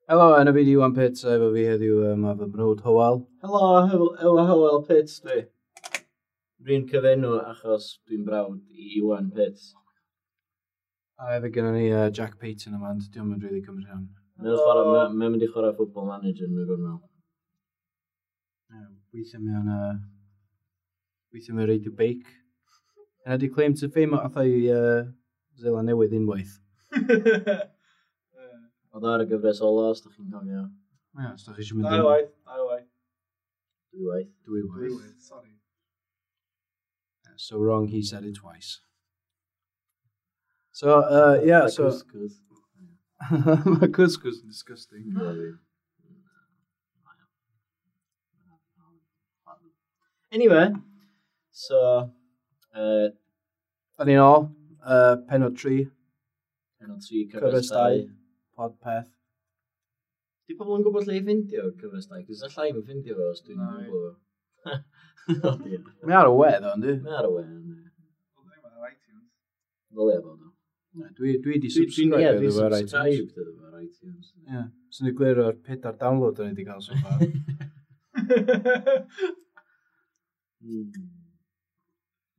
Helo, enw fi di Iwan Pitts, a efo fi heddiw mae fy mrawd Hywel. Helo, helo, Hywel Pitts dwi. Rwy'n cyfenw achos dwi'n brawd i Iwan Pitts. A hefyd gennym ni Jack Payton yma, ond diolch yn rili cymryd rhan. Mae'n mynd i chwarae Football Manager yn y gornel. Yeah, weithiau mae o'n... Weithiau mae'n reidio beic. Yna di claim to fame atha i Zeland Newydd unwaith. Oedd ar y gyfres ola, os da chi'n cofio. Ie, os da chi eisiau mynd Dau waith, dau waith. Dwy waith. Dwy waith. Dwy waith, sorry. So wrong, he said it twice. So, yeah, so... Couscous. Mae couscous yn disgusting. Anyway, so... Da ni'n ôl, penod 3. Penod 3, cyfres 2. Podpeth. Di pobl yn gwybod lle i ffindio cyfres 2? Cos allai i'm ffindio fo os dwi'n gwybod fo. O dear. Mae ar y we, ddo, yndi? Mae ar y we, yndi. Wel, ddim ar iTunes. Ddylia fod o. Dwi di subscribe iddo fo ar iTunes. Dwi'n subscribe iddo fo ar iTunes. Ie. Sy'n ni glir o'r 4 download o'n i wedi cael so far.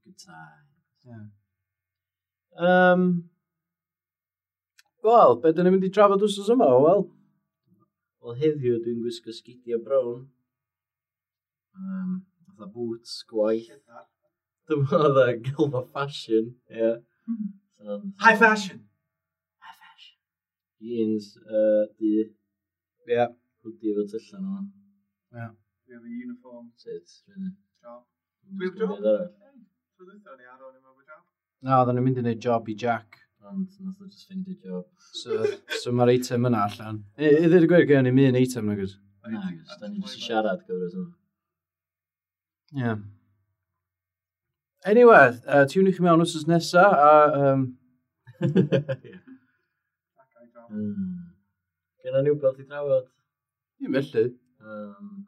Good time. Yeah. Wel, be dyn ni'n mynd i drafod wsos yma, wel? Wel, heddiw dwi'n gwisgo sgidiau brown. Fatha boots, gwaith. Dyma oedd y gylfa fashion, ie. Yeah. High fashion! High fashion. Jeans, du. Ie. Yeah. Hoodie efo tyllan yma. Ie. We have a uniform. Sut, really. Job. Dwi heb job? Tro dwytha ni ar ôl i'n efo job. Na, oedden ni'n mynd i wneud job i Jack. Ond nath o just ffeindio job. So mae'r eitem yna allan. I ddweud y gwir, gen i'n un eitem nag oes? Na, gos, da ni'n just siarad gyfres yma. Ie. Anyway, tiwn i chi mewn wsos nesa, a... Genna ni wbeth i drafod? Ddim felly.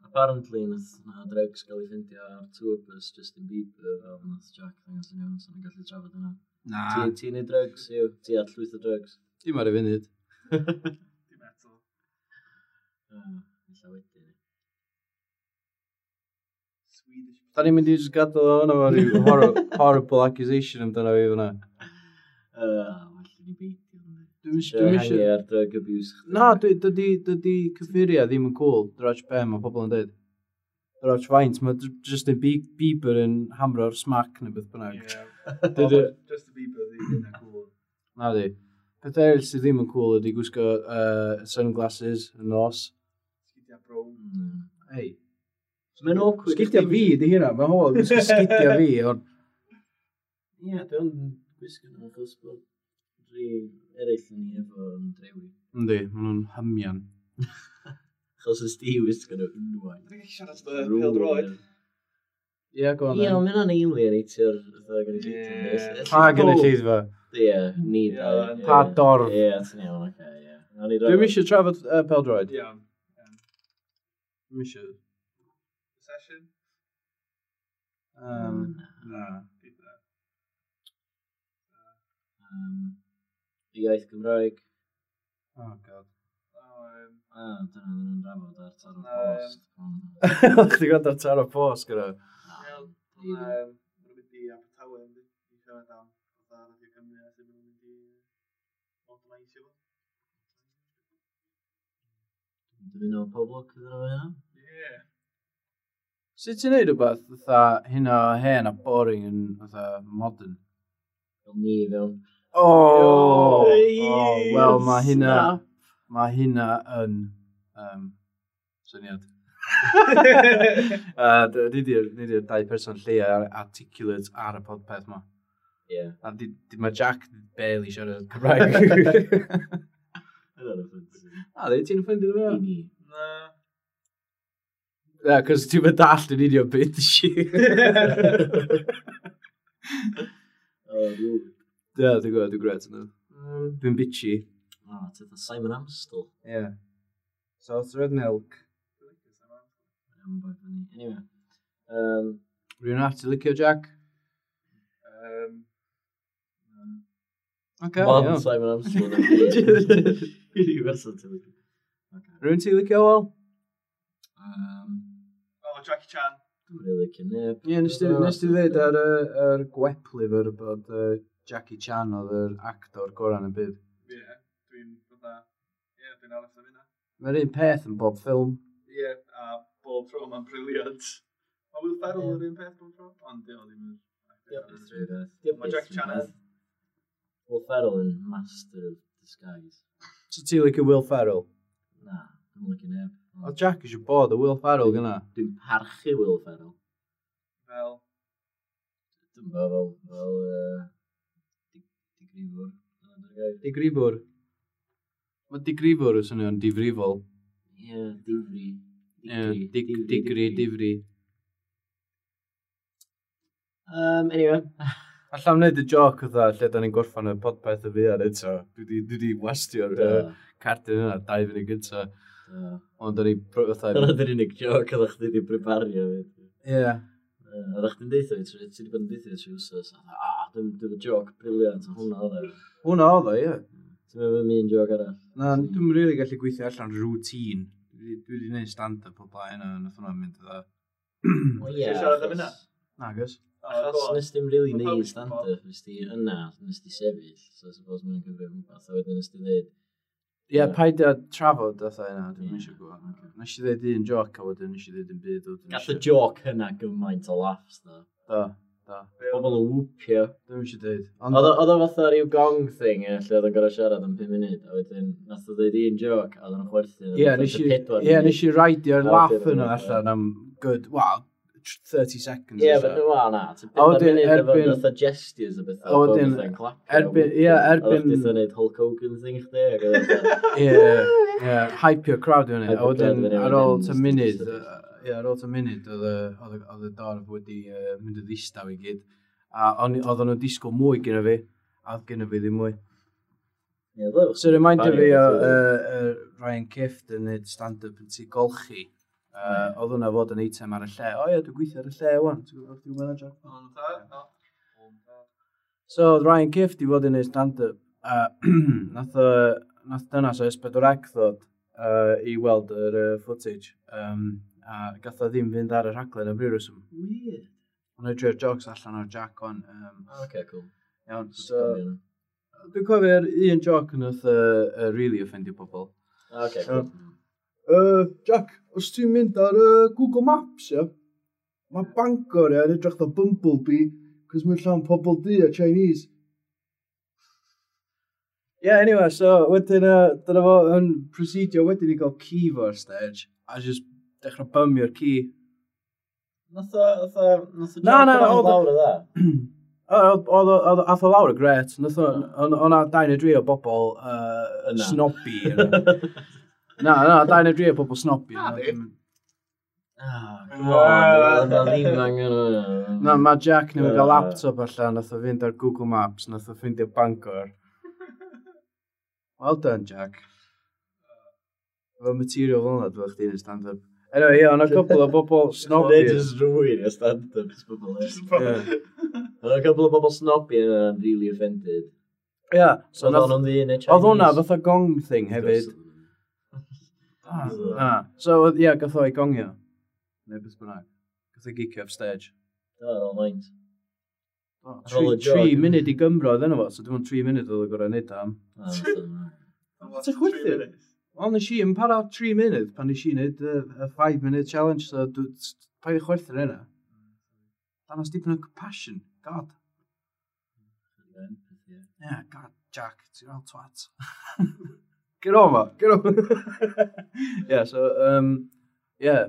Apparently, nath na drugs gael ei ffeindio ar tour bus Justin Bieber, fel nath Jack ddangos yn iawn, so ni'n gallu trafod yna. Na. Ti'n neud drugs, yw? Ti ar llwyth o drugs? Dim ar y funud. Dim eto. Ella wedyn. Swedish. Da ni'n mynd i just gadael o hwnna fo ryw horrible accusation amdano fi fyna. Well i ni beidio. Dwi'm eisiau... ar drug abuse. Na, dydy cyffuria ddim yn cool. Drach be mae pobl yn dweud. Drach faint, mae Justin Bieber yn hamro'r smack neu beth bynnag. Ie. Justin Bieber ddim yn cool. Na di. Peth eraill sydd ddim yn cool ydy gwisgo sunglasses yn nos. Sgidiau brown. Ei. Mae'n awkward. Sgidiau fi di hynna, mae hwyl gwisgo sgidiau fi. Ond... Ie, dwi'n gwisgo nhw achos bod rhi eraill yn ni efo yn drewi. Yndi, maen nhw'n hymian. Achos ys di wisgo nhw unwaith. Dwi'n gallu siarad am pêl-droed. Ie, go on Ie, then. ond mae hynna'n alienatio'r fatha gynulleidfa. Pa gynulleidfa? Ie, ni dau. Pa dorf? Ie, ti'n iawn, oce, ie. Dwi'm eisiau trafod pêl-droed. Iawn. Dwi'm eisiau. Session? Na. Iaith Gymraeg. Oh, God. Ah, dyna ddyn nhw'n drafod ar Taro Post. Chdi gwrando ar Taro Post gyda? Ie, Maen nhw'n mynd i Abertawe, yndi? I siarad am fatha Radio Cymru a sut maen nhw'n mynd i modernisio fo. Dwi'n mynd o pob lwc iddyn nhw hynna. Ie. Sut ti'n neud rhywbeth fatha hynna o hen a boring yn fatha modern? Fel ni fewn. Oh! Oh, wel, mae hynna... Mae hynna yn syniad. Ni di'r dau person lleia articulate ar y podpeth ma. Ie. A mae Jack barely siarad Cymraeg. Yna'n offensive. A, ddi, ti'n offended efo? I ni. Na. Na, cos ti'n mynd dallt yn union beth si. O, rude. Ie, dwi'n gwybod, dwi'n gret yna. Dwi'n bitchy. O, ti'n fatha Simon Amstel. Ie. Sauce red milk. Mae'n boi funny. Anyway. Rwy'n arall ti'n licio, Jack? Oce, Ond iawn. Simon Amstel. Rhyw person ti'n licio. Okay. Rwy'n ti licio, Wel? Oh, Jackie Chan. Dwi'n really licio neb. Ie, nes ti ddweud ar yr gweplyfr bod Jackie Chan oedd yr actor gorau yn y byd. Ie, dwi'n fatha... Ie, dwi'n aros am hynna. Mae'r un peth yn bob ffilm. Ie, a bob tro mae'n brilliant. Mae Will Ferrell yr un peth bob tro, ond di o ddim yn... Mae Jackie Chan yn. Will Ferrell yn master of disguise. So ti licio Will Ferrell? Na, dwi'n licio neb. O Jack eisiau bod y Will Ferrell gyna. Dwi'n parchu Will Ferrell. Fel? Dwi'n fel, fel, digrifwr. Digrifwr? Mae digrifwr yn swnio'n difrifol. Ie, difri. Ie, digri, difri. Anyway. Alla am wneud y joc oedd lle da ni'n gorffan y podpeth y fuan eto. Dwi di wastio'r cardyn yna 2 funud gynta. Ond da ni... Dyna dy'r unig joc oedd chdi di prepario. Ie. Oedd chdi'n deitha fi, ti wedi bod yn deitha fi trwy wsos. Dwi'n joc brilliant, hwnna oedd e. Hwnna oedd e, ie. Ti'n meddwl am un joc arall? Na, dwi'n rili gallu gweithio allan routine. Dwi wedi gwneud stand-up o blaen a nath hwnna'n mynd iddo. O ie. Ti'n siarad am hynna? Nagos. Achos nes di'm really neud stand-up, nes di yna, nes di sefyll, so I suppose mae'n cyfrif rhywbeth, a wedyn nes di ddeud... Ie, paid â trafod fatha yna, dwi'n eisiau gwybod. Nes i ddeud un joc a wedyn nes i ddeud un byd. Gath y joc yna gymaint o laughs, da. Da, da. Pobl yn whoopio. Dwi'n eisiau dweud. Oedd o fatha rhyw gong thing, lle oedd o'n gorau siarad am 5 munud, a wedyn nath o ddeud un joc, a oedd o'n chwerthin. Ie, nes i raidio'r laugh yna allan am good, well, 30 seconds. Ie, but well, na. Ti'n munud efo fatha gestures a bethau. A wedyn, erbyn, ie, erbyn... Oedd chdi wneud Hulk Hogan thing chdi. Ie, ie, hypeio crowd i hynny. A wedyn, ar ôl ta munud, ie, ar ôl ta munud, oedd y dorf wedi mynd yn ddistaw i gyd. A oedden nhw'n disgwyl mwy gyda fi, a oedd gyda fi ddim mwy. So remindio fi o Ryan Kift yn neud stand-up yn tŷ golchi. Oedd hwnna fod yn eitem ar y lle. O ie, dwi'n gweithio ar y lle, wan. Ti'n gwybod dwi'n manager? So, oedd Ryan Kift i fod yn ei stand-up. Nath dynas o S4C ddod i weld yr footage. A gath o ddim fynd ar y rhaglen am ryw reswm. Weird. Ond ei drio'r jokes allan o'r Jack wan. Okay, cool. Iawn, so... Dwi'n cofio'r un joc nath really offendio pobl. Okay, cool. Jack, os ti'n mynd ar Google Maps, ia, mae Bangor, ia, yn edrych fatha Bumblebee, cos mae'n llawn pobl du a Chinese. Yeah, anyway, so wedyn, dyna fo yn procedio wedyn i gael ci fo ar stage, a just dechrau bymio'r ci. Nath o Jack yn lawr o dda? Oedd ath o lawr y gret. Nath o, o'na 2 neu 3 o bobl snobby. Na, 2 neu 3 o bobl snobby. Na, di. Come on, na ddim angen hwnna. Na, mae Jack newydd gael laptop allan, nath o fynd ar Google Maps, nath o ffeindio Bangor. Well done, Jack. Efo material fel yna, dwi'n chdi'n stand-up. Anyway, ie, o'na couple o bobl snobby. Neu just rwy'n y stand-up, just bobl eraill. O'na couple o bobl snobby yna'n really offended. Ie. So oedd hwnnw'n ddyn neu Chinese. Oedd hwnna fatha gong thing hefyd. So, ie, gath o'i gongio. Neu beth bynnag. Gath o'i gicio off stage. Do, ar ôl maint. 3 munud i Gymro oedd yna fo, so dim ond 3 munud oedd o gorau neud am. Ti'n chwythu? Wel, nes i yn para 3 munud pan nes i wneud y 5 minute challenge, so paid i chwerthu ar hynna. Danos dipyn o compassion, God. Yeah, God, Jack, ti'n fel twat. Get over, get over. Yeah, so, yeah,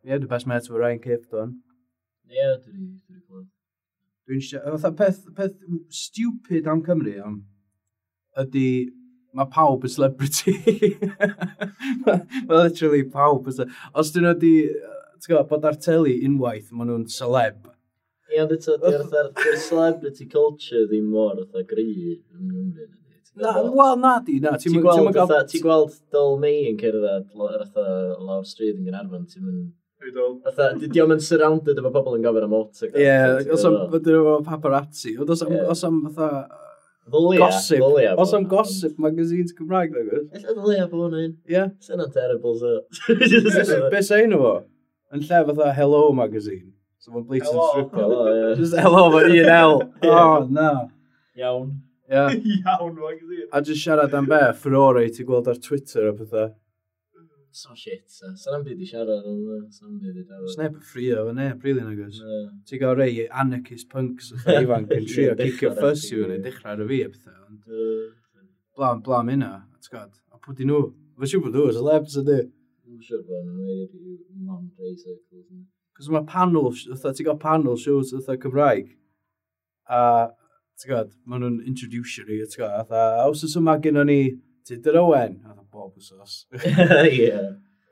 the best mates with Ryan Kift on. Yeah, dwi wedi clywed. Dwi'n eisiau, fatha peth stupid am Cymru, ydy, mae pawb yn celebrity. Mae literally pawb yn celebrity. Os dyn nhw wedi, ti'n gwybod, bod ar teli unwaith, maen nhw'n celeb. Ie, ond eto, di'r celebrity culture ddim mor fatha gry yng Nghymru. Na, wel, na di, na. Ti'n gweld Dol May yn cerdded lawr stryd yn Gaernarfon, ti'n mynd... Fatha, di o'm yn surrounded efo pobl yn gofyn am autograph. Ie, os am, fydden nhw efo paparazzi. Ond os am fatha, Ddylia. Gossip. Ddylia. Os am gossip magazines Cymraeg, nag oes? Ella ddylia bod hwnna un. Ie. Sy'n yna'n terrible, so. Be sa enw fo? Yn lle fatha Hello magazine. So fo'n blatant Hello. stripper. Hello, ie. Just hello fo un L. Ie. Oh, na. Iawn. Ie. Iawn, magazine. A just siarad am be, furore ti gweld ar Twitter a pethau. So shit, so. Sa'n byd i siarad am hwnna. Sa'n byd i drafod. Sneb yn ffrio fo neb, really, nag oes. Na. Ti'n gael rei anarchist punks fatha ifanc yn trio Ie, cicio dechrau'r ffys i fyny, ie. dechrau ar y fi a pethau. Ond Yy, blam, blam hynna, ti'n gwybod. A pwy di nhw? Fy siŵr bod nhw, celebs ydy. Dwi'n siŵr bod nhw'n wedi mon rei circles. yna. Cos mae panel, fatha, ti'n gael panel shows fatha Cymraeg. A, ti'n gwybod, maen nhw'n introducio ni, ti'n gwybod, fatha, wsos yma gynnon ni Tudur Owen, fatha bob wsos. Ie.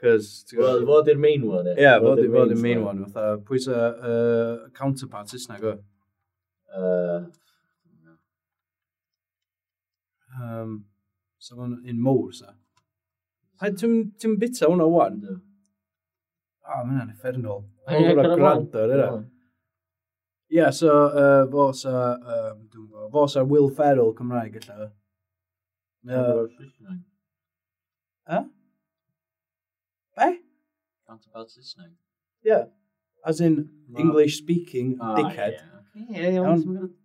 Cos, ti'n Wel, gwybod, fod i'r main one, ie. ie, fod i'r main one, fatha, pwy sa counterpart Saesneg o? So fo'n un mowr, sa. Hai, ti'n ti bita hwnna wan? Yndw. Ah, ma' hynna'n effernol. Ie, Mae'n cyrraedd gwrando ar hynna. Ie, so, fo sa, dwi'n gwybod, fo sa Will Ferrell Cymraeg, ella. Mae o- Saesneg. Be? Counterpart Saesneg. Ie. As in, English speaking, Ah, dickhead. ie. Ie, iawn. Iawn. ti'n gwbod.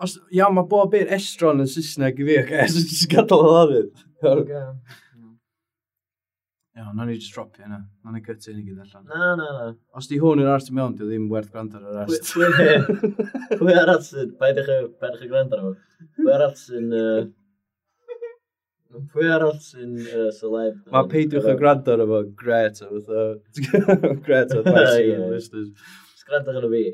Os, iawn, mae bob un estron yn Saesneg i fi, oce, so jyst gadael o lafydd. Ocê. Iawn, nawn ni just dropio hynna. Nawn ni cytu hyn i gyd allan. Na, na, na. Os di hwn yn ars i mewn, di o ddim werth gwrando ar yr Pwy ars. pwy arall sy'n... Paid eich gwrando arno fo. Pwy arall sy'n... Pwy arall sy'n celeb? Mae peidiwch â gwrando ar efo gret o fatha... Gret o advice i Ie. listeners. Just gwrando arno fi.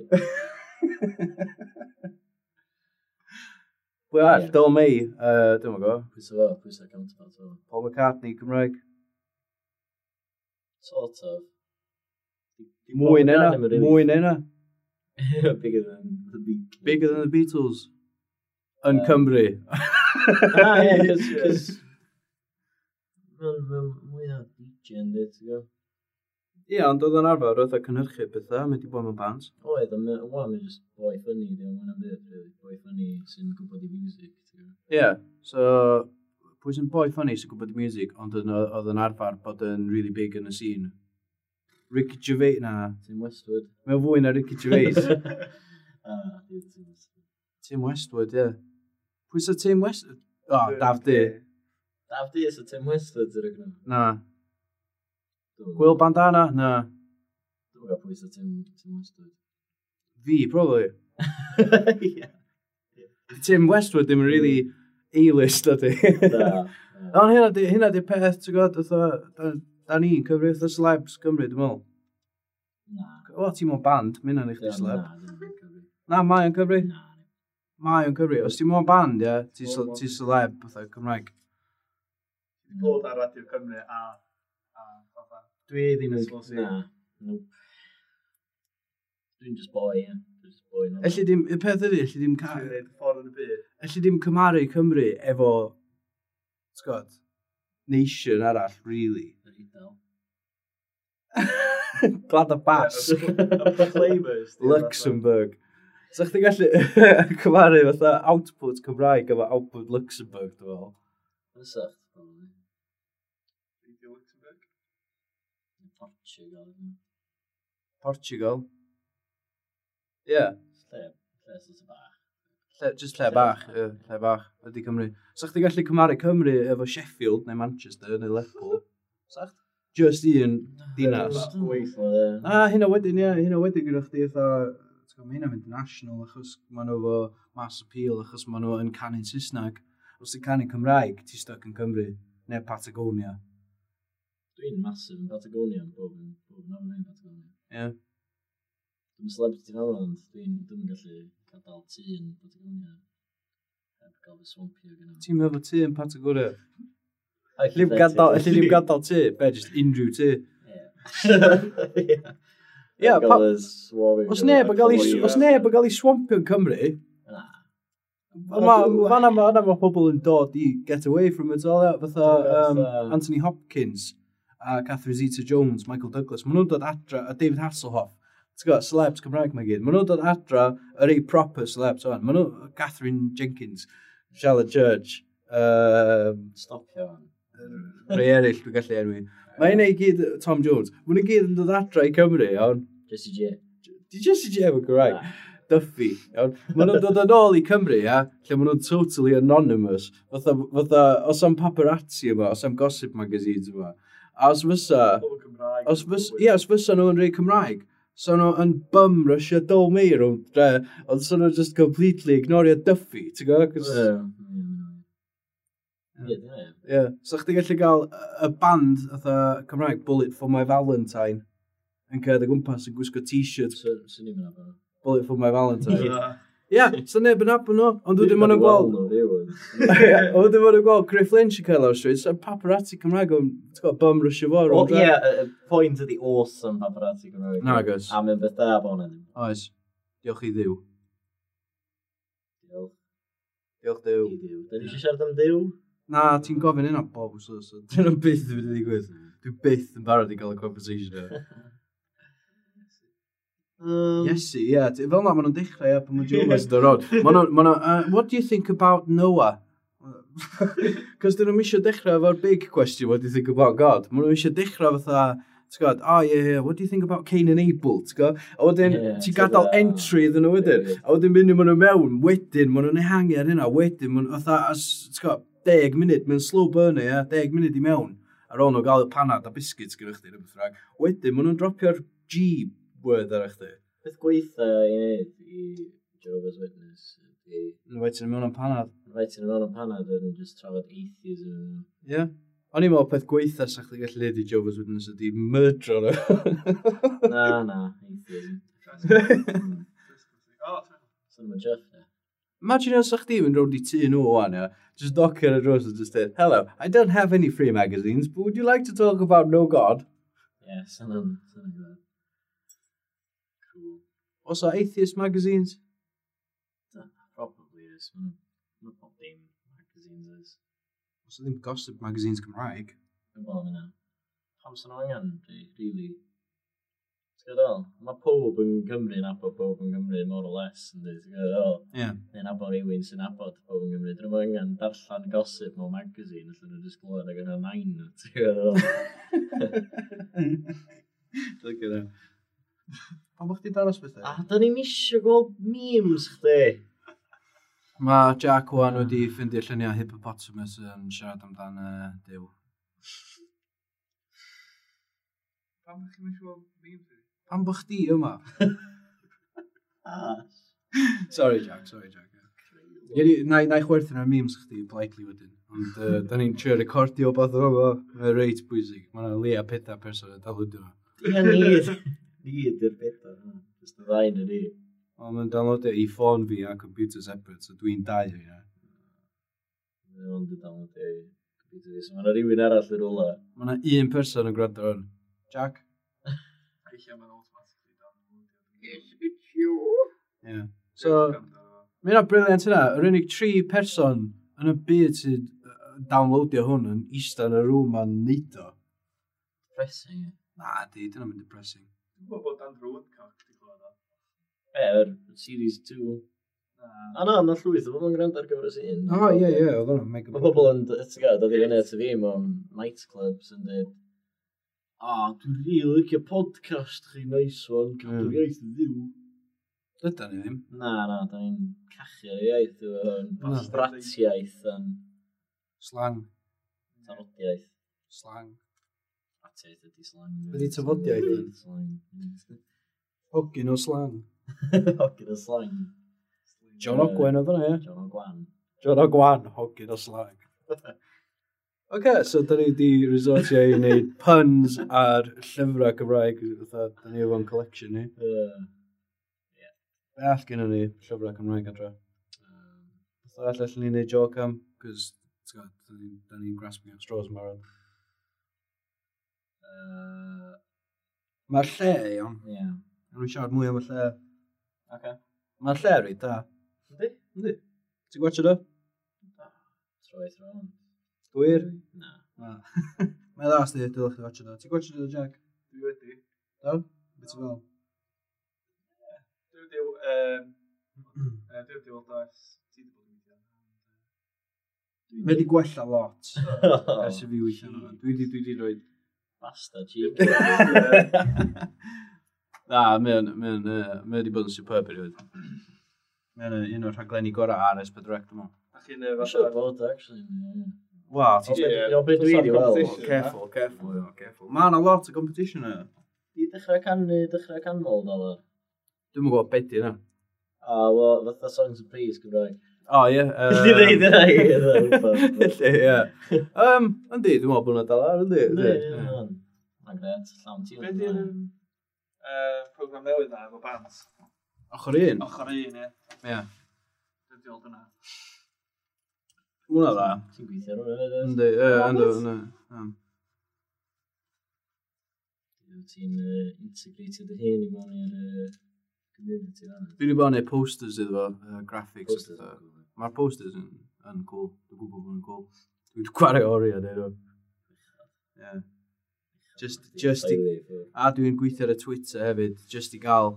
Pwy arall? Ie. Dyl May, dwi'n gwybod. Pwy sy'n fo? Pwy sy'n counterpart fo? Paul McCartney, Cymraeg. Sort of. Mwy na hynna. Mwy na hynna. Bigger than the Beatles. Bigger than the Beatles. Yn Yym. Cymru. Ah, ie, cos... Cos... Mae'n mwy o DJ yn dweud, ti'n gwybod? Ie, ond oedd o'n arfer, oedd o'n cynhyrchu pethau, mynd i bod mewn bands. Oedd, ond wan mae'n just boy funny, di o'n mwyn byd, really. Boy funny sy'n gwybod i music, ti'n gwybod? Ie, yeah, so pwy sy'n boy funny sy'n gwybod y music, ond oedd yn arfer bod yn really big yn y scene. Ricky Gervais, na, Tim Westwood. mae'n fwy na Ricky Gervais. Ah, di Tim Westwood. Tim Westwood, ie. Yeah. Pwy sy'n Tim Westwood? O, oh, Daf D. Daf D is a Tim Westwood, ti'n rhaid. Na. Gwyl Bandana? Na. Dwi'n gwybod pwy sy'n Tim Westwood. Fi, probably. Ie. Tim Westwood ddim yn really A-list, ydy. Da. Ond hynna di, hynna di peth, ti'n gwybod, fatha, da ni'n cyfri fatha celebs Cymru, dwi'n meddwl. Na. O, ti'n mewn band, mae hynna'n eich Na, celeb. ddim yn cyfri. Na, mae o'n cyfri. Na. Mae o'n cyfri. Os ti'n mewn band, ie, ti'n ti celeb, fatha Cymraeg. Bod ar Radio Cymru a fatha. Dwi ddim yn... SLC. Na. Nope. Dwi'n just boy, ie. Dwi'n just boy. normal. Elli dim, y peth ydy, elli dim, Ti'n gwneud ffordd yn y byd. elli dim cymharu Cymru efo, ti'n gwybod, nation arall, really. Yr Eidal. Glad y Basg. Y Proclaimers. di, Luxembourg. So chdi gallu cymharu fatha output Cymraeg efo output Luxembourg, dwi'n meddwl. Fysa, probably. fatha. Radio Luxembourg. Portugal. Portugal. Ie. Yeah. Lle sort of bach. Lle, just lle bach, ie, lle bach, ydy Cymru. So chdi gallu cymharu Cymru efo Sheffield neu Manchester neu Lerpwl. Sa chdi? Just un dinas. Weithio, Na, hynna wedyn, ie, hynna wedyn gyda chdi fatha, ti'n gwbod, mae hynna'n mynd national achos maen nhw efo mass appeal, achos maen nhw yn canu'n Saesneg. Os ti'n canu Cymraeg, ti'n stuck yn Cymru, neu Patagonia. Dwi'n massive yn Patagonia, yn bob yn bob yn ofyn yn Patagonia. Ie. Dwi'n celebrity fel ond dwi'n dwi'n gallu gadael tŷ yn Patagonia. Heb gael fy swampio gyda. Ti'n meddwl tŷ yn Patagonia? Elli ddim gadael, elli ddim gadael tŷ, be, just unrhyw tŷ. Ie. Ie, pa- Gael y swampio. Os neb yn gael ei, os neb yn gael ei swampio yn Cymru, Na. Ma, fan'na ma, fan'na ma pobl yn dod i get away from it all, ie. Fatha Fatha- Anthony Hopkins a Catherine Zeta-Jones, Michael Douglas, maen nhw'n dod adra, a David Hasselhoff, ti'n gwybod, celebs Cymraeg mae gyd, maen nhw'n dod adra, yr ei proper celebs o'n, maen nhw, Catherine Jenkins, Charlotte Church. Stopio fan. Rhai eraill dwi'n gallu enwi. Mae hynna i gyd Tom Jones. Mae nhw gyd yn dod adra i Cymru, iawn. Jessie J. Di Jessie J efo Gymraeg? Duffy, iawn. Maen nhw'n dod yn ôl i Cymru, ia, lle maen nhw'n totally anonymous. Fatha, os am paparazzi yma, os am gossip magazines yma. A os fysa, Pobl Cymraeg. os fysa, ie, os fysa nhw yn rhai Cymraeg, so nhw yn bum rushio Dol Meir rownd dre, ond so nhw just completely ignorio Duffy, ti'n gwybod? Ie. Ie, dyna ie. Ie. So chdi gallu gael y band fatha Cymraeg, Bullet for My Valentine, yn cerdded o gwmpas yn gwisgo t-shirt Swn i'n mynd nhw. Bullet for My Valentine. Ie. Ie, yeah, so neb yn nabod nhw, ond wedyn maen nhw'n gweld... Ie, Ond wedyn maen nhw'n gweld Griff Lynch yn cael lawr stryd, so paparazzi Cymraeg o'n, ti'n gwybod, bum rushio fo O, rownd dre. ie, y pwynt ydi awesome paparazzi Cymraeg. Nagos. A mae'n beth da bod hwnna ddim. Oes. Diolch i Dduw. Diolch Diolch Duw. i Dduw. Da ni eisiau siarad am Dduw? Na, ti'n gofyn hynna bob wsos, so dyna byth yn mynd i ddigwydd. Dwi byth yn barod i gael y conversation yna. Iesu, ie. Yeah. Fel na, maen nhw'n dechrau, ie, pan mae Jonas yn dod rownd. Maen nhw'n, maen nhw, what do you think about Noah? Cos dyn nhw'n eisiau dechrau efo'r big question, what do you think about God? Maen nhw eisiau dechrau fatha, ti'n gwybod, oh yeah, yeah, what do you think about Cain and Abel, ti'n gwybod? A wedyn, Ie, ti'n gadael ti'n entry iddyn nhw wedyn. Ie. A wedyn mynd maen nhw mewn, wedyn, maen nhw'n ehangu ar hynna, wedyn, maen nhw, fatha, ti'n gwybod, 10 munud, mae'n slow burner, ie, 10 munud i mewn. Ar ôl nhw gael y panad a biscuits gyda chdi, neu beth bynnag. Wedyn, maen nhw'n dropio'r G word ar chdi. Beth gweitha i wneud i Jehovah's Witness ydi... Yn ti'n mewn am panad. Rhaid ti'n mewn am panad yn just trafod atheism. Ie. Yeah. O'n i'n meddwl peth gweitha sa chdi gallu neud i Jehovah's Witness ydi myrdro nhw. Na, na, atheism. O, ti'n Swn i'n jeff, ne? Imagine os sa chdi mynd rownd i tŷ nhw wan, ia. Just knock ar y drws and just dweud, hello, I don't have any free magazines, but would you like to talk about no God? Ie, swn i'n gwybod. Cool. Oes o atheist magazines? Probably is. Mae'n pob dim magazines is. Oes o ddim gossip magazines Cymraeg? Dwi'n gwybod am hynna. Pam sy'n angen, really? Ti'n gwybod ddol? Mae pob yn Cymru yn nabod pob yn Cymru, more or less, yndi, ti'n gwybod ddol? Ie. Neu'n nabod rhywun sy'n nabod pob yn Cymru. Dyn nhw'n angen darllen gossip mewn magazine, allan nhw just glywed ag yna nain nhw, ti'n gwybod ddol? Look at that. Pam bod chdi daros bethau? A da ni'n isio gweld memes chdi. Mae Jack wan wedi ffeindio lluniau hippopotamus yn siarad amdan Duw. Pam ydych chi'n eisiau gweld memes fi? Pam bod chdi yma? Ah. Sorry Jack, sorry Jack. Ie, na i chwerthin ar memes chdi politely wedyn. Ond da ni'n trio recordio beth o fo. Mae'n reit bwysig. Mae yna leia pethau person yn downloadio fo. Ie, ni. Ni ydy'r beth Just y ddau yn ni. Ond mae'n downloadio i ffôn fi a computer separate, so dwi'n dau o hynna. Mae o'n dy downloadio i computer fi. So mae yna rhywun arall yn rwla. Mae yna un person yn gwrando ar hwn. Jack? Eich mae'n automatically downloadio. It's you. Yeah. So, mae hynna briliant hynna. Yr unig tri person yn y byd sy'n downloadio hwn yn eistedd yn y rŵm a'n neud o. Depressing. ie. Na, di, dyna mynd depressing. Dwi'n gwybod bod Andrew Woodcock wedi clywed o. Be, yr series 2. Na. A na, na llwyth o bobl yn gwrando ar gyfres un. O, ie, ie, oedd hwnna'n mega... Mae pobl yn, ti'n gwybod, dod i fyny at y fi mewn nightclubs yn dweud, a, dwi'n rili licio podcast chi, nice one, cadw'r iaith yn fyw. Dydan ni ddim. Na, na, da ni'n cachu ar y iaith, yn Na. bratiaith, yn Slang. tafodiaith. Slang. Bratiaith ydi slang. Be' 'di tafodiaith then? Slang. Hogyn o slang. Hogyn o slang. John Ogwen oedd hwnna, ie? John Ogwan. John Ogwan, hogyn o slang. Oce, so da ni di resortio i wneud puns ar llyfrau Cymraeg, fatha, da ni efo'n collection ni. Yy, Be all gynnon ni llyfrau Cymraeg adra? Fatha all allan ni wneud joke am, cos, ti'n gwbod, da ni'n grasping at straws yn barod. Mae'r lle, iawn. Ie. Nawn ni siarad mwy am y lle. Oce. Mae'r lle reit da. Yndi? Yndi. Ti'n gwachio do? Troi tro on. Gwir? Na. Na. Mae'n dda, sti, dylech chi watcho do. Ti'n gwachio do, Jack? Dwi wedi. Do? Beth ti'n fel? Dwi wedi, yym, dwi wedi weld o ers ti wedi bod yn gweithio. Mae wedi gwella lot ers i fi weithio arno fo. Dwi di rhoi. Bastard cheek. Na, mae wedi bod yn superb erioed. Mae'n un o'r rhaglenni gorau ar S4C, dwi'n meddwl. A chi'n Mae'n fatha. siŵr bod, actually. Wel, ti'n Ie. O, be dwi wedi weld. Competition, Careful, careful, yeah, careful. Mae yna lot o competition yna. Di dechrau canu, dechrau canmol, dal ar. Dwi'm yn gwybod beth di yna. A, wel, fatha Songs of Praise Gymraeg. O, ie. Di ddeud yna i, rhywbeth. Lle, ie. Yndi, dwi'n meddwl bod hwnna dal ar, yndi? Yndi, Yndi. ie, Mae'n gret, llawn ti. Be di'r program newydd na efo bands? Ochr un? Ochr un, ie. Ie. Dwi'n diolch yna. Hwna dda. Ti'n gweithio ar hwnna, hefyd, oes? Yndi, ie, yndw, yndw. Ti'n integratio dy hun i mewn i'r community fan'na. Dwi wedi bod yn neud posters iddo fo, graphics. Posters a yn petha. cool. Mae'r posters yn cool. Dwi'n gwybod bod nhw'n cool. Dwi wedi gwario oriau neud nhw. Ie. Just i. Teulu, ffwrdd. A dwi'n gweithio ar y Twitter hefyd, just i gael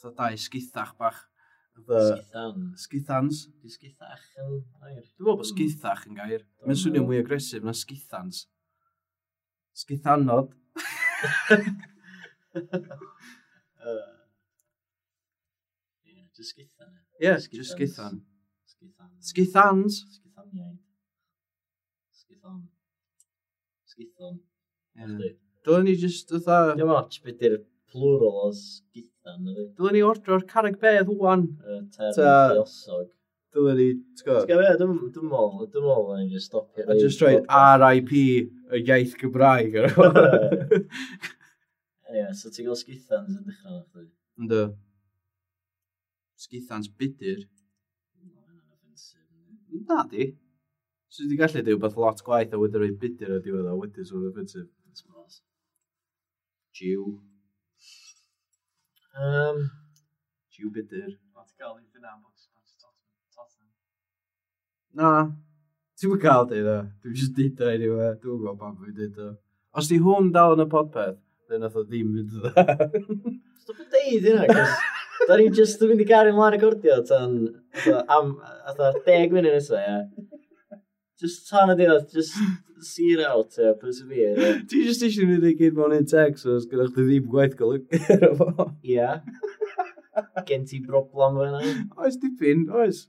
fatha dau sgithach bach. Fatha Sgithan. Sgithans. Di sgithach yn air. Dwi'n meddwl bod sgithach yn gair. Mae'n swnio mwy agresif na sgithans. Sgithanod. Ie, just sgithan. Ie, yeah, just sgithan. Sgithan. Sgithans. Sgithaniaid. Sgithon. Sgithon. Ie. Chdi. Dylen ni just fatha. Dim ots beth di'r plural o sgithan, ydy. Dylen ni ordro'r carreg bedd wan. Y term lluosog. Dylen ni, ti'n gwybod? Ti'n gwybod be, dwi'n meddwl na ni just stopio. A just rhaid RIP y iaith Gymraeg ar ôl. Anyway, so ti'n gael sgithans yn dechrau na chdi? Yndw. Sgithans budur. No, hynna'n offensive, yndi? Na di. So wedi gallu deud beth lot gwaith a wedi rhoi budur ar diwedd a wedyn sôn offensive. I suppose. Jiw. Jiw budur. O, ti'n gael i dyna am bod Tottenham. Na. Ti'n mynd cael deud o. Dwi'n just deud o anyway. Dwi'n gwybod pam dwi'n deud o. Os di hwn dal yn y podpeth, then nath o ddim mynd yn dda. Stop yn deud hynna, cos da ni just yn mynd i gario ymlaen recordio tan, fatha, am, fatha, 10 munud nesa, ie. Just tan y diwedd, just see it out, ie, persevere, ie. Ti just eisiau mynd i gyd mewn un text, so os gyda chdi ddim gwaith golygu ar fo. Ie. Gen ti broblem fo hynna? Oes dipyn, oes.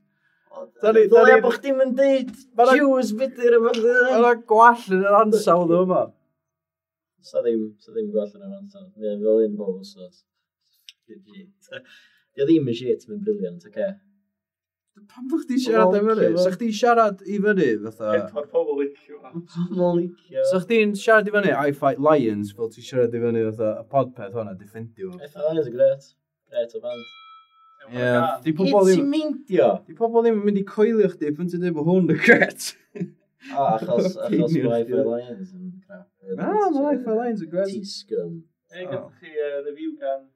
Ddylia bo chdi'm yn deud Jews budur y fath. Mae yna gwall yn yr ansawdd yma. Sa ddim gwall yn yr ansawdd. Mae'n fel un bob wsos. Shit. Dio ddim yn shit, mae'n brilliant, oce. Pam fo chdi siarad am fyny? Sa chdi siarad i fyny, fatha. Pedwar pobl licio fo. Pobl licio. Sa chdi'n siarad i fyny I Fight Lions, fel ti'n siarad i fyny fatha y podpeth hwnna, defendio fo. I Fight Lions yn gret. Gret o band. Ie, di Pobl pobl ddim... ddim. Ti'n meindio? Di pobl ddim yn mynd i coelio chdi pan ti'n dweud bod hwn yn gret. O, achos Opinion mae I chdi. Fight Lions yn crap. Na, mae I Fight Lions yn gret. Ti'n scum. Ei, gathoch chi review gan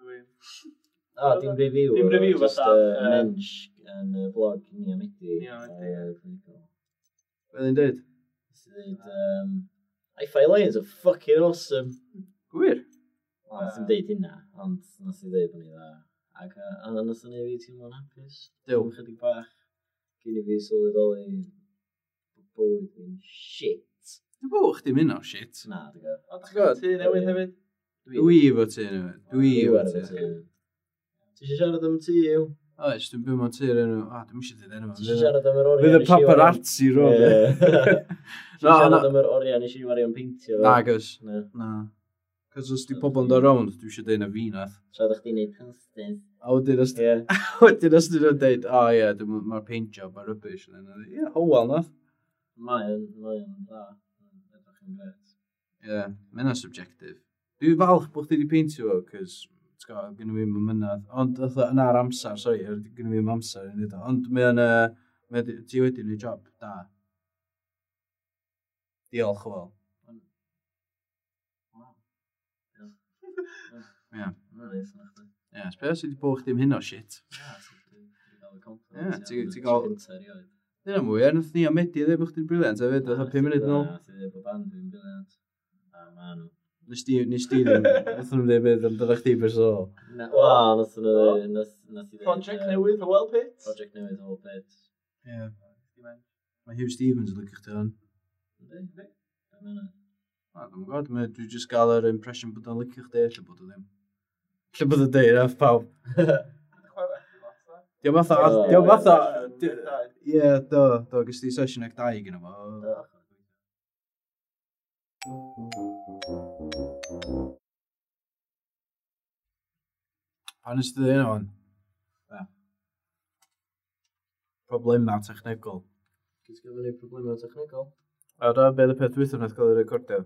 rhywun. O, dim review. Dim review, just, fatha, mensch yn y blog ni am Edi. Ni am Edi, ie. Clinical. Be dwi'n dweud? Nes i ddeud, I Fight Lions are fucking awesome. Gwir. Wel, nath i'm deud hynna, ond nath i ddeud bod ni dda. Ac a nath o'n neud fi teimlo'n hapus. Duw. Am chydig bach. Cyn i fi sylweddoli bod bywyd fi'n shit. Dwi'n bod chdi'n mynd o shit. Na, dwi'n gwybod. O, dach chi'n tŷ newydd hefyd? Dwi efo ti newydd. Dwi efo ar efo ti. tŷ. Ti eisiau siarad am tŷ yw? Oes, dwi'n byw mewn tŷ o'r enw. A, dwi'n eisiau dweud enw. Ti eisiau siarad am yr oriau Fydd y nes i wario- paparazzi rôl. Ie. Ti Na, eisiau siarad na. am yr oriau nes i wario'n peintio? Na, gos. Na. Na. Cos os di pobl yn dod rownd, dwi eisiau deud na fi nath. Tra ddech chdi'n neud posters. A wedyn os Ie. wedyn os dyn nhw'n deud, o ie, mae'r paint job ar rubbish. Ie, Howell nath. Mae o'n dda. Mae'n edrych yn gret. Ie, mae hynna'n subjective. Dwi'n falch bod chdi wedi peintio fo, cos, ti'n gwbod, gynnu fi ddim mynadd. Ond, fatha, yna'r amser, sori, gynnu fi ddim amser i wneud o. Ond mae o'n, ti wedi gwneud job da. Diolch, Hywel. Wow. Ie. Mae'n neis na chdi. Ie, sbio sydd wedi bod chdi am hyn o shit. Ie, ti 'di gael y compliment. Ie, ti gael- Gynta erioed. Dyna mwy, er nath ni a Medi ddweud bod chdi'n brilliant hefyd, fatha 5 munud yn ôl. Na, ti dweud bod band fi'n brilliant. A ma nhw. Nes di ddim, nath nhw'n dweud beth amdano chdi bersonol. Na, wel, nath nhw dweud, nath i dweud, Project newydd, Hywel Pit. Project newydd, Hywel Pit. Ie. Mae Hugh Stevens yn licio chdi hwn. Yndi? Yndi. Yndi. Na, dwi'n gwybod, dwi jyst gael yr impression bod o'n licio chdi, lle bod o ddim. Lle bod o'n deud, nath pawb. Chwarae chdi lot, da. Diolch fatha, O, diolch fatha, Sesiwn dau. ie, do, do, gys ti sesiwn ag dau gyda fo. Do. Pa nes ti ddweud hynna wan? Be? Problemau technegol. Cys gafon ni problemau technegol? A da, be oedd y peth dwytha nath gael ei recordio?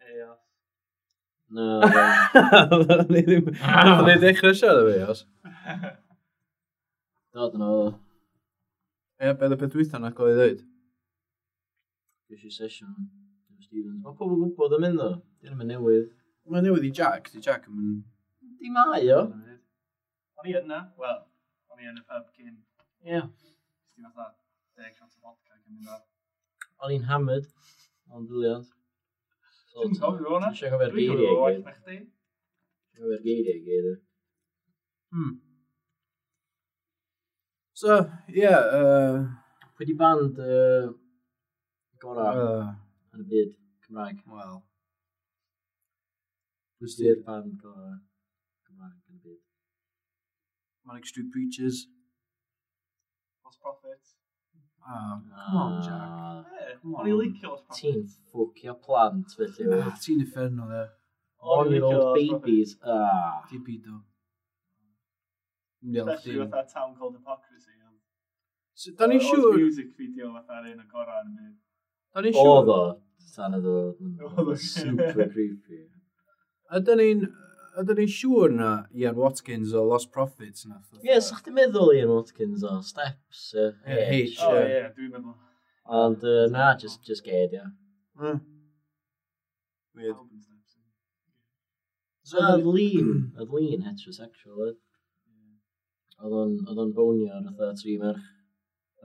Eos. Na, Ni ddim... Nathon ni ddechrau siarad efo Eos. do, dyna oedd o. Ie, be oedd y peth dwytha nath gael ei ddweud? Ges i sesiwn efo Stevens. Mae pobl yn gwybod am hyn ddo. Dyn nhw'n newydd. Mae'n newydd i Jack, di Jack yn mynd... Di mae o. O'n i yna, wel, o'n i yn y pub cyn. Ie. Nes ti fatha 10 shot o vodka cyn mynd ar. O'n i'n hammered. O'n briliant. So, Dwi'n cofio hwnna. Dwi'n cofio'r Dwi'n geiriau cofio i waith gyd. na chdi. Dwi'n cofio'r geiriau i gyd. So, ie, yeah, Pwy di band gorau yn y byd Cymraeg? Wel. Pwy di'r band gorau Cymraeg yn y byd? Manic Street Preachers. Lost Prophets. Ah, come on, Jack. Ie, Come o'n i'n on. licio Lost Prophets. Ti'n ffwcio plant, felly. Ah, ti'n uffernol, e. O'n i'n licio One-year-old Lost Prophets. babies. Ah. Ti'n bido. Diolch Especially chdi. fatha Town Called Hypocrisy. So, Da ni'n Oedd siŵr... music video fatha'r un o gorau yn y byd. Da ni'n siŵr... Oedd o, tan oedd o, Oedd o. super creepy. Ydyn ni'n... Ydyn ni'n siŵr na Ian Watkins o Lost Prophets nath... Ie, yeah, sa'ch ti'n meddwl Ian Watkins o Steps, Ie, H. O Ie. ie, dwi'n meddwl. Ond na, just ged, ia. Weird. Pawb yn Steps. So, Oedd Lean, oedd Lean heterosexual, oedd. Oedd o'n bonio ar fatha tri merch.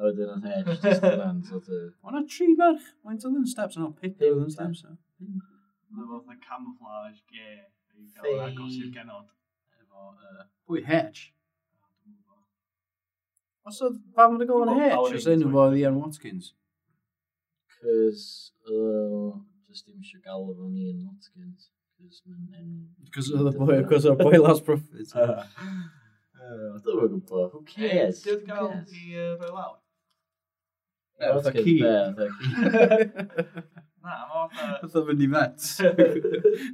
A wedyn oedd H, just yna'n sort of... O na tri merch. Faint oedd yn Steps yn o pedwar oedd yn Steps. e? Oedd o fatha camouflage gay. I gael yr agos i'r genod. Efo, Pwy, H? dwi'm yn gwbod. Os oedd, pam oedd y gofyn Dwi'n H? gwbod Os enw fo oedd Ian Watkins. Cos, oedd o just ddim eisiau galw fo'n Ian Watkins. Cos mae'n enw... Cos oedd y boi, cos oedd y boi Lost Prophets. Dwi'm yn gwybod, who cares? Di oedd Who gael cares? i roi lawr? Ie, fatha Watkins, ci. be, fatha ci. Na, mae fatha... Fatha fynd i vet.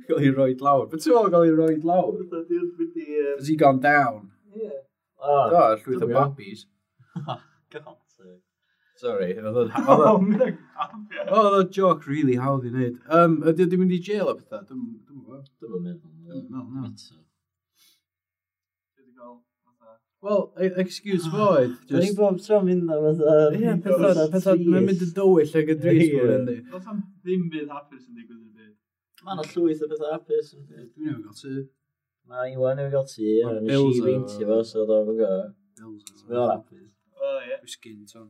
Gael ei roid lawr. But ti'n meddwl gael ei roid lawr? Fatha di oedd mynd i... Has he gone down? Ie. O, Do, llwyth o Dwi'n babis. God sake. Sorry, oedd o'n... O, mynd ag Oedd o'n joke really hawdd i wneud. Ydy o di mynd i jail o pethau? Dwi'm gwybod. Dwi'm yn meddwl. Dwi'm yn meddwl, na. Eto. Di gael fatha... Wel, excuse fo oedd. Dwi'n Just... bob tro mynd am fatha... Ie, pethau, pethau, mae'n mynd yn dywyll ag yn drist Ie. mwyn yndi. Does am ddim byd hapus yn digwydd yn y byd. Mae yna llwyth o bethau hapus yn byd. Dwi'n newid gael tŷ. Mae Iwan newydd gael tŷ, Ma' a nes bills i o- beintio fo, so oedd o'n go. Bills. Mae o'n hapus. O, ie. Dwi'n sgin, Tom.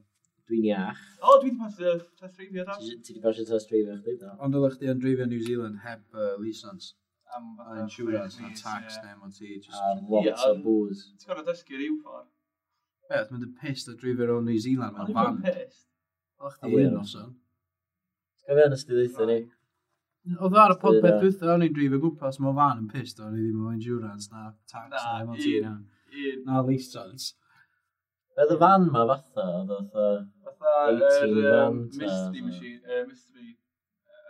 Dwi'n iach. O, dwi wedi pasio test dreifio da. Ti wedi pasio test dreifio chdi, do? Ond oeddech chdi yn dreifio New Zealand heb licence, Am a fatha insurance, chwech na mis, tax, ie. na MOT, just... A lot Ie, o ond- booze. Ti'n gorfod dysgu ryw ffordd. Beth, mynd yn pissed o dreifio rownd New Zealand O'n mewn i'n van. pissed. Oeddech A chdi wir. un noson. Ti'n cofio nes ti ddeutha ni? Oedd ar y podpeth Ie. dwytha, o'n i'n dreifio gwmpas mewn van yn pissed, o'n i ddim efo insurance, na tax, Na, na MOT, un. na, Un. na licence. Oedd y fan ma fatha, oedd o fatha... Fatha 18 yr fan, ta, Mystery fatha. Machine, Mystery,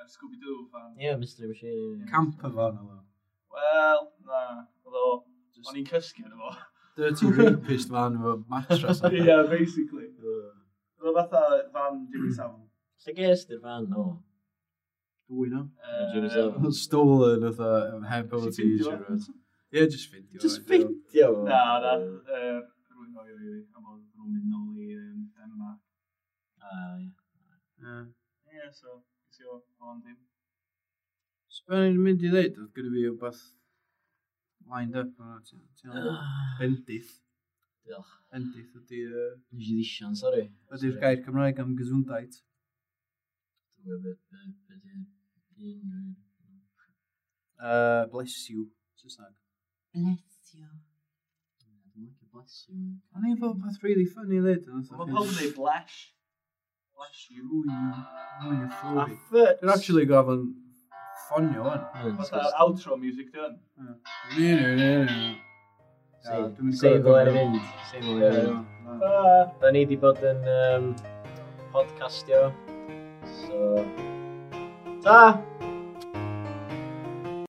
Scooby-Doo fan. Ie, Mystery Machine. ie. Camper van oedd o. Wel, na, oedd o, Just o'n i'n cysgu yn efo. Dirty rapist van efo mattress. Ie, basically. Oedd o fatha fan Jimmy Savile. Lle ges di'r fan, o? Dwy no. Jimmy Savile. Stolen oedd heb Nes MOT i ffindio fo? insurance. Ie, just ffindio. Just ffeindio fo. Na, na, rwy'n rhoi o i fi, am bod nhw'n mynd nôl i Denmark. Ah, ie. Ie. Ie, so, ges i o o'n ddim. So be o'n i'n mynd i ddeud, oedd gyda fi wbeth lined up. yna, ti'n meddwl? Bendith. Diolch. Bendith ydy, Nes i ddisian, sori. ydy'r gair Cymraeg am gesundheit. Dwi'n gwybod be di un... Bless you, Saesneg. Bless you. Dwi'n licio bless you. O'n i'n fod peth really funny lyd. Mae pawb yn dweud bless. Bless you. Ooh, you A flowy. fucks. Dwi'n actually gofyn ffonio wan. Fatha outro music, dwi'n. Ne, ne, ne, ne. Ie, dwi'n mynd i Save gorfod ddylai fynd. Save ddylai Ie, fynd. ie. Ta! Da ni wedi bod yn podcastio. So... Ta!